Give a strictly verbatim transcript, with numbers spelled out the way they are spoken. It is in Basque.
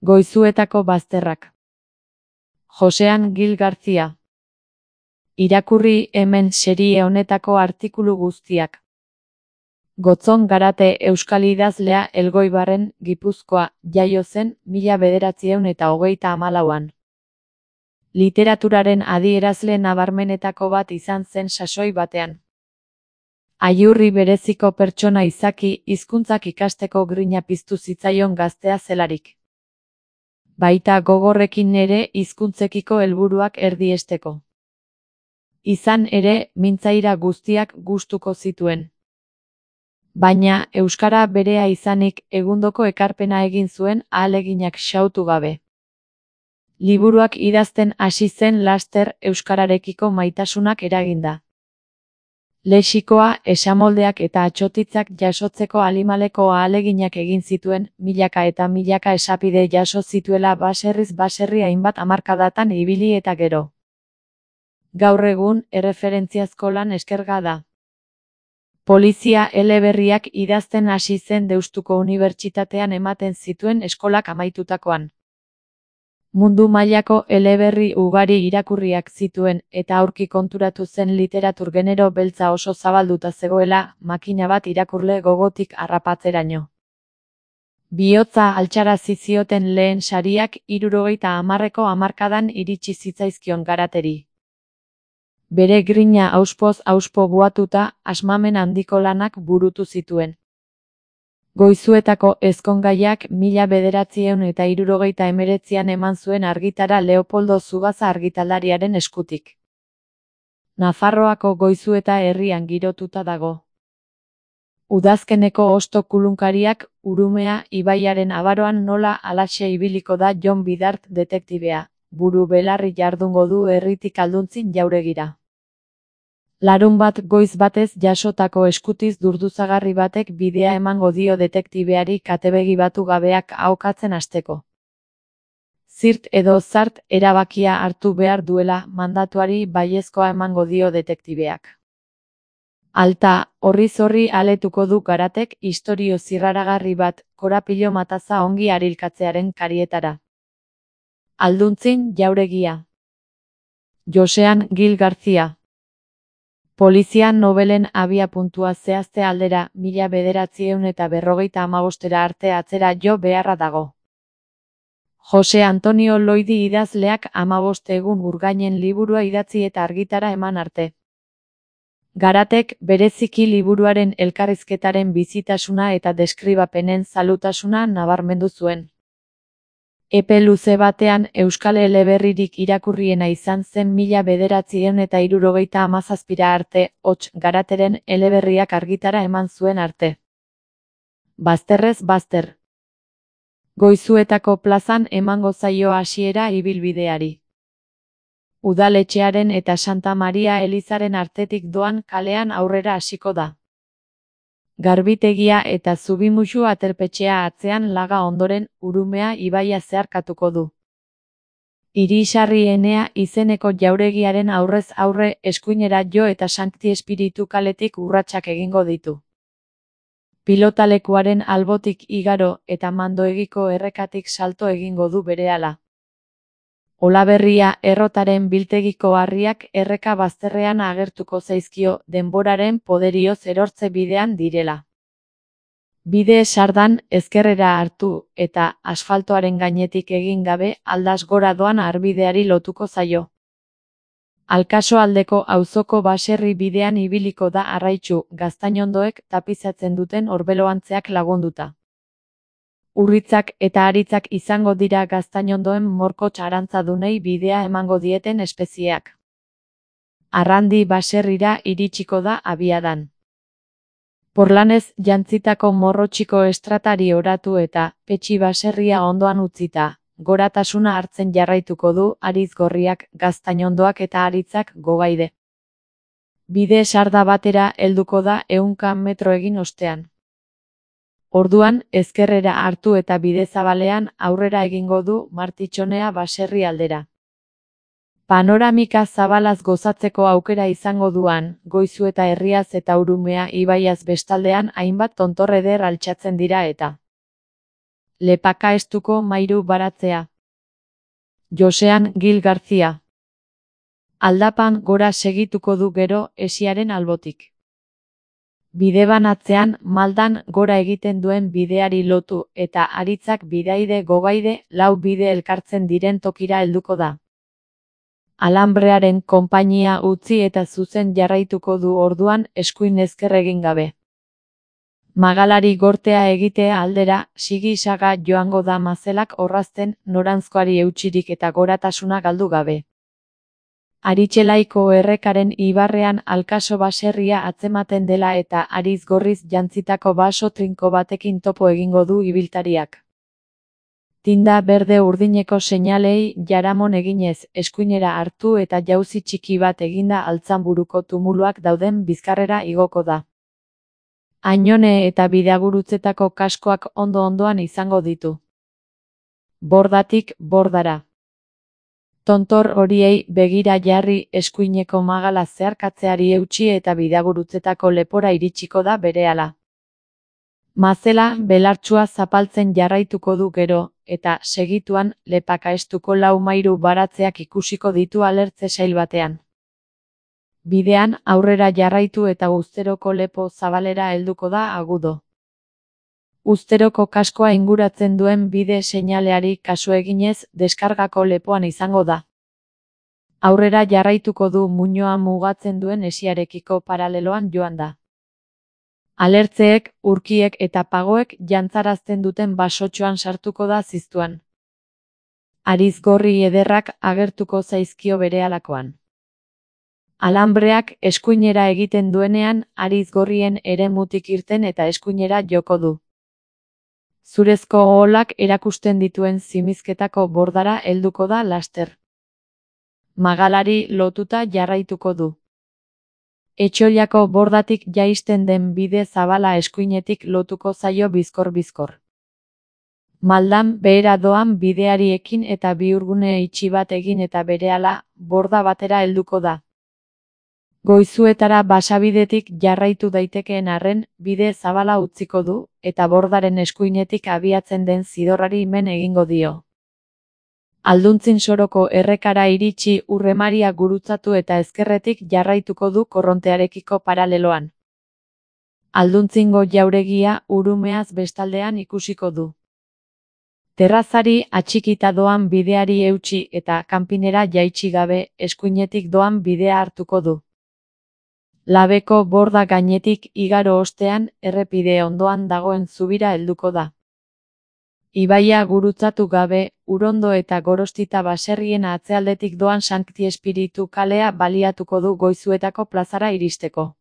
Goizuetako bazterrak. Josean Gil Garcia. Irakurri hemen serie honetako artikulu guztiak. Gotzon Garate euskal idazlea Elgoibarren, Gipuzkoa, jaio zen mila bederatziehun eta hogeita hamalauan. Literaturaren adierazle nabarmenetako bat izan zen sasoi batean. Aiurri bereziko pertsona izaki, hizkuntzak ikasteko grina piztu zitzaion gaztea zelarik. Baita gogorrekin ere hizkuntzekiko helburuak erdiesteko. Izan ere, mintzaira guztiak gustuko zituen. Baina, euskara berea izanik, egundoko ekarpena egin zuen ahaleginak xautu gabe. Liburuak idazten hasi zen laster euskararekiko maitasunak eraginda. Lexikoa, esamoldeak eta atsotitzak jasotzeko alimaleko ahaleginak egin zituen, milaka eta milaka esapide jaso zituela baserriz baserri hainbat hamarkadatan ibili eta gero. Gaur egun, erreferentziazko lan eskerga da. Polizia eleberriak idazten hasi zen Deustuko Unibertsitatean ematen zituen eskolak amaitutakoan. Mundu mailako eleberri ugari irakurriak zituen eta aurki konturatu zen literatur genero beltza oso zabalduta zegoela, makina bat irakurle gogotik harrapatzeraino. Bihotza altxarazi zioten lehen sariak hirurogeita hamarreko hamarkadan iritsi zitzaizkion Garateri. Bere grina auspoz auspo buatuta, asmamen handiko lanak burutu zituen. Goizuetako ezkongaiak mila bederatziehun eta hirurogeita hemeretzian eman zuen argitara Leopoldo Zugaza argitaldariaren eskutik. Nafarroako Goizueta herrian girotuta dago. Udazkeneko hosto kulunkariak, Urumea ibaiaren abaroan nola halaxe ibiliko da Jon Bidart detektibea, buru belarri jardungo du herritik alduntzin jauregira. Larun bat goiz batez jasotako eskutiz durduzagarri batek bidea emango dio detektibeari katebegi batu gabeak ahokatzen hasteko. Zirt edo zart erabakia hartu behar duela mandatuari baiezkoa emango dio detektibeak. Alta, horriz horri aletuko du Garatek istorio zirraragarri bat, korapilo mataza ongi arilkatzearen karietara. Alduntzin jauregia. Josean Gil Garcia. Polizia nobelen abia puntua zehazte aldera, mila bederatziehun eta berrogeita hamabostera arte atzera jo beharra dago. Jose Antonio Loidi idazleak hamabost egun urgainen liburua idatzi eta argitara eman arte. Garatek bereziki liburuaren elkarrizketaren bizitasuna eta deskribapenen zalutasuna nabarmendu zuen. Epe luze batean euskal eleberririk irakurriena izan zen mila bederatziehun eta hirurogeita hamazazpira arte, hots Garateren eleberriak argitara eman zuen arte. Bazterrez bazter. Goizuetako plazan emango zaio hasiera ibilbideari. Udaletxearen eta Santa Maria elizaren artetik doan kalean aurrera hasiko da. Garbitegia eta Zubimuxu aterpetxea atzean laga ondoren, Urumea ibaia zeharkatuko du. Irisarri Enea izeneko jauregiaren aurrez aurre eskuinera jo eta Sankti Espiritu kaletik urratsak egingo ditu. Pilotalekuaren albotik igaro eta Mandoegiko errekatik salto egingo du berehala. Olaberria errotaren biltegiko harriak erreka bazterrean agertuko zaizkio denboraren poderioz erortze bidean direla. Bide sardan ezkerrera hartu eta asfaltoaren gainetik egin gabe aldaz gora doan harbideari lotuko zaio. Alkasoaldeko auzoko baserri bidean ibiliko da Arraitzu gaztainondoek tapizatzen duten orbeloantzeak lagunduta. Urritzak eta aritzak izango dira gaztainondoen morkots arantzadunei bidea emango dieten espezieak. Arrandi baserrira iritsiko da abiadan. Porlanez jantzitako morrotxiko estratari oratu eta Petxi baserria ondoan utzita, goratasuna hartzen jarraituko du Ariz Gorriak, gaztainondoak eta aritzak gogaide. Bide sarda batera helduko da ehunka metro egin ostean. Orduan, ezkerrera hartu eta bide zabalean aurrera egingo du Martitxonea baserri aldera. Panoramika zabalaz gozatzeko aukera izango duan, Goizueta herriaz eta Urumea ibaiaz bestaldean hainbat tontor eder altxatzen dira eta Lepaka estuko mairu baratzea. Josean Gil Garzia. Aldapan gora segituko du gero esiaren albotik. Bideban atzean maldan gora egiten duen bideari lotu eta aritzak bidaide gogaide lau bide elkartzen diren tokira helduko da. Alambrearen konpainia utzi eta zuzen jarraituko du orduan eskuin ezker egin gabe. Magalari gortea egitea aldera, sigi-saga joango da mazelak orrazten noranzkoari eutsirik eta goratasuna galdu gabe. Aritxelaiko errekaren ibarrean alkaso baserria atzematen dela eta ariz gorriz jantzitako baso trinko batekin topo egingo du ibiltariak. Tinda berde urdineko seinalei jaramon eginez, eskuinera hartu eta jauzi txiki bat eginda Altzanburuko tumuluak dauden bizkarrera igoko da. Ainone eta bidagurutzetako kaskoak ondo-ondoan izango ditu. Bordatik bordara. Tontor horiei begira jarri eskuineko magala zeharkatzeari eutsi eta bidagurutzetako lepora iritsiko da berehala. Mazela belartsua zapaltzen jarraituko du gero, eta segituan lepaka estuko lau mairu baratzeak ikusiko ditu alertze sail batean. Bidean aurrera jarraitu eta Uzteroko lepo zabalera helduko da agudo. Uzteroko kaskoa inguratzen duen bide seinaleari kasu eginez deskargako lepoan izango da. Aurrera jarraituko du muinoa mugatzen duen esiarekiko paraleloan joan da. Alertzeek, urkiek eta pagoek jantzarazten duten basotxoan sartuko da ziztuan. Ariz gorri ederrak agertuko zaizkio berehalakoan. Alambreak eskuinera egiten duenean ariz gorrien eremutik irten eta eskuinera joko du. Zurezko oholak erakusten dituen zimizketako bordara helduko da laster. Magalari lotuta jarraituko du. Etxoiako bordatik jaisten den bide zabala eskuinetik lotuko zaio bizkor-bizkor. Maldan behera doan bideari ekin eta bihurgune itxi bat egin eta berehala borda batera helduko da. Goizuetara basabidetik jarraitu daitekeen arren bide zabala utziko du eta bordaren eskuinetik abiatzen den zidorrari men egingo dio. Alduntzin soroko errekara iritsi urremaria gurutzatu eta ezkerretik jarraituko du korrontearekiko paraleloan. Alduntzingo jauregia urumeaz bestaldean ikusiko du. Terrazari atxikita doan bideari eutsi eta kanpinera jaitsi gabe eskuinetik doan bidea hartuko du. Labeko borda gainetik igaro ostean errepide ondoan dagoen zubira helduko da. Ibaia gurutzatu gabe, Urondo eta Gorostita baserrien atzealdetik doan Sankti Espiritu kalea baliatuko du Goizuetako plazara iristeko.